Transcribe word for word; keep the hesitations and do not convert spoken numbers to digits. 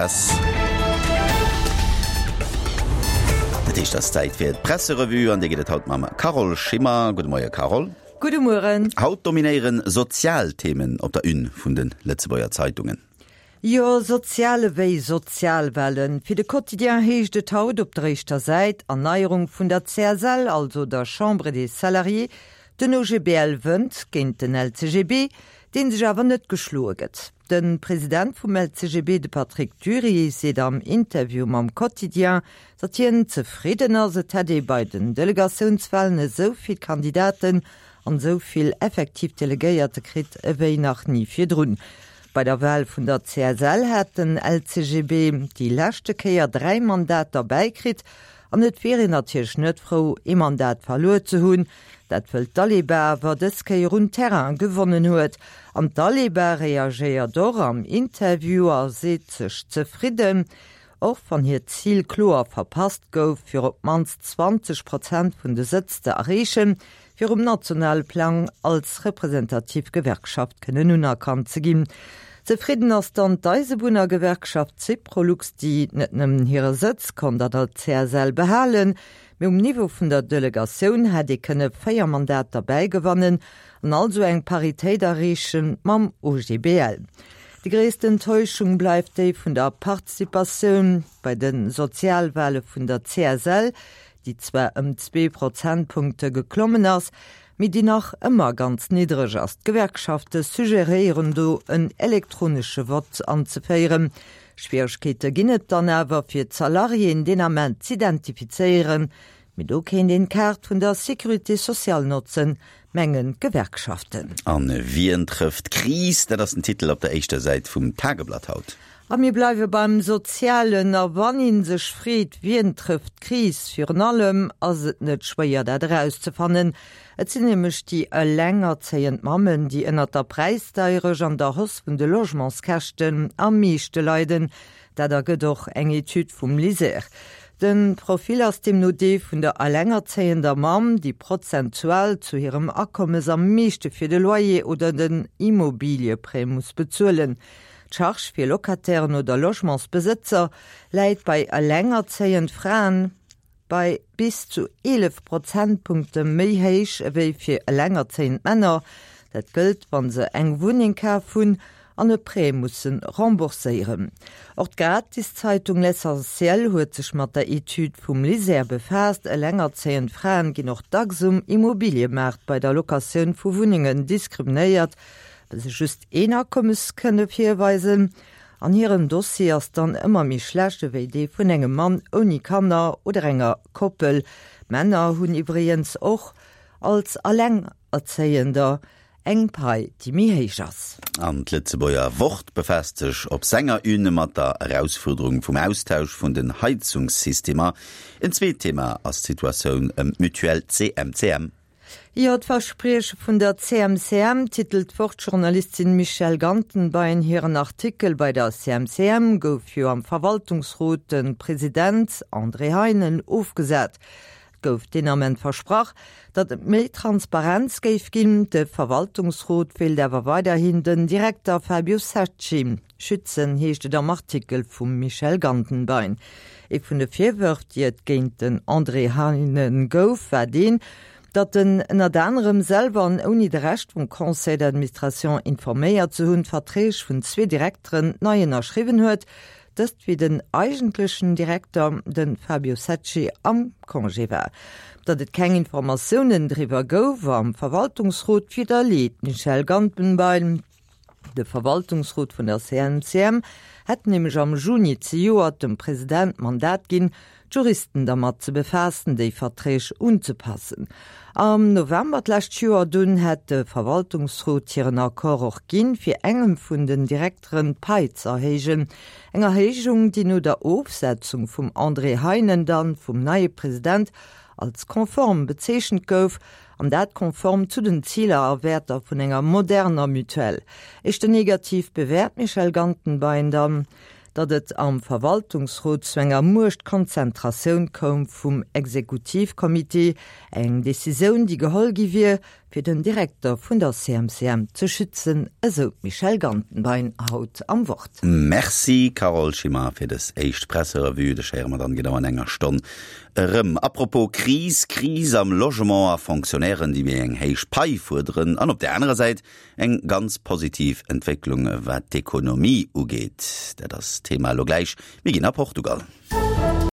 Press. Dat heescht, et ass Zäit fir d'Presserevue an déi gëtt et haut mam Carole Schimmer. Gudde Moie Carole. Gudde Mueren. Haut dominéiere sozial Themen op der Une vun de Lëtzebuerger Zeitungen. Jo, sozial ewéi Sozialwellen. Fir de Quotidien heescht et haut op der éischter Säit, Erneierung vun der C S L, also der Chambre des Salariés. Den O G B L wënnt géint den L C G B, dee sech awer net geschloe gëtt. De President vum L C G B, de Patrick Dury, seet am Interview mam Quotidien, datt hien zefridden ass, et hätt ee bei den Delegatiounswalen esou vill Kandidaten an esou vill effektiv Delegéierte kritt ewéi nach ni virdrun. Bei der Wal vun der C S L hat den L C G B déi leschte Kéier dräi Mandater bäikritt an et wier een natierlech net frou, ee Mandat verluer ze hunn, dat wëll d'Aleba awer dës Kéier un Terrain gewonnen huet. An d'Aleba reagéiert och am Interview a seet sech zefridden, och wann hiert Zil kloer verpasst gouf, fir op d'mannst zwanzeg Prozent vun de Sëtz ze erreechen, fir um nationale Plang als representativ Gewerkschaft kënnen unerkannt ze ginn. Zefridden ass dann d'Eisebunnergewerkschaft Syprolux, déi net nëmmen hire Sëtz konnt an der C S L behalen, mee um Niveau vun der Delegatioun hätt ee kënne véier Mandater bäigewannen an also eng Paritéit erreeche mam O G B L. Déi gréisst Enttäuschung bleift déi vun der Participatioun bei de Sozialwale vun der C S L, déi zwar ëm zwee Prozentpunkte geklommen ass, mee déi nach ëmmer ganz niddreg ass. D'Gewerkschafte suggeréieren do en elektronesche Vott anzeféieren. Schwieregkeete ginn et dann awer fir d'Salariéen deen Ament z'identifizéieren, mee do kéint een d'Kaart vun der Sécurité sociale notzen, mengen d'Gewerkschaften. An wien trëfft d'Kris, dat ass den Titel op der éischter Säit vum Tageblatt haut. A mir bleiwe beim Sozialen a wann een sech freet, wien trëfft d'Kris, virun allem ass et net schwéier dat erauszefannen. Et sinn nämlech déi elengerzéiend Mammen, déi ënnert der Präisdeierecht an der Hausse vun de Logementskäschten am meeschte leiden. Dat ergëtt och eng Etüd vum LISER. De Profil ass deemno dee vun der elengerzéiender Mamm, déi prozentual zu hirem Akommes am meeschte fir de Loyer oder den Immobilieprêt muss bezuelen. D'Charge fir Locatairen oder Logementsbesëtzer läit bei elengerzéiende Fraen bei bis zu eelef Prozentpunkte méi héich ewéi fir elengerzéiend Männer. Dat gëllt, wann se eng Wunneng kaf hunn an e Prêt musse rembourséieren. Och d'Gratiszeitung L'Essentiel huet sech mat der Etüd vum LISER befaasst. Elengerzéiend Fraen ginn och dacks um Immobiliëmaart bei der Locatioun vu Wunnengen diskriminéiert, well se just een Akommes kënne virweisen. An hiren Dossier ass dann ëmmer méi schlecht ewéi dee vun engem Mann ouni Kanner oder enger Koppel. Männer hunn iwwregens och als Elengerzéiender eng Pai, déi méi héich ass. An d'Lëtzebuerger Wort befaasst sech op senger Une mat der Erausfuerderung vum Austausch vun den Heizungssystemer. En zweet Thema ass d'Situatioun ëm d'Mutuelle C M C M. Jo, d'Versprieche vun der C M C M, titelt d'Wort-Journalistin Michèle Gantenbein hiren Artikel. Bei der C M C M gouf jo am Verwaltungsrot de President André Heinen ofgesat. Et gouf deen Ament versprach, datt et méi Transparenz géif ginn. De Verwaltungsrot wéilt awer weiderhin den Direkter Fabio Secci schützen, heescht et am Artikel vum Michèle Gantenbein. Ee vun de Virwërf, déi et géint den André Heinen gouf, war deen, datt en ënnert anerem selwer an ouni de Rescht vum Conseil d'administration informéiert ze hunn, Verträg vun zwee Direkteren nei ënnerschriwwen huet, dëst wéi den eigentlechen Direkter, de Fabio Secci, am Congé war. Datt et keng Informatiounen driwwer gouf am Verwaltungsrot, widderleet d'Michèle Gantenbein. De Verwaltungsrot vun der C M C M hätt nämlech am Juni zejoert dem President d'Mandat ginn, d'Juristen dermat ze befaassen, déi Verträg unzepassen. Am November d'lescht Joer dunn hätt de Verwaltungsrot hiren Accord och ginn, fir engem vun den Direkteren d'Pai ze erhéijen. Eng Erhéijung, déi no der Ofsetzung vum André Heinen dann vum neie President als konform bezeechent gouf, an dat konform zu den Ziler a Wäerter vun enger moderner Mutuelle. Éischter negativ bewäert d'Michèle Gantenbein dann, datt et am Verwaltungsrot zu enger Muechtkonzentratioun koum vum Exekutivkommitee, eng Decisioun, déi geholl gi wier, fir den Direkter vun der C M C M ze schützen, esou d'Michèle Gantenbein haut am Wort. Merci Carole Schimmer fir des éischt Presserevue, dech héiere mer dann genau an enger Stonn erëm. Apropos Kris, Kris am Logement a Fonctionnairen, déi méi eng héich Pai fuerderen an op der anerer Säit eng ganz positiv Entwécklung wat d'Ekonomie ugeet. Dat ass Thema lo gläich. Mir ginn a Portugal.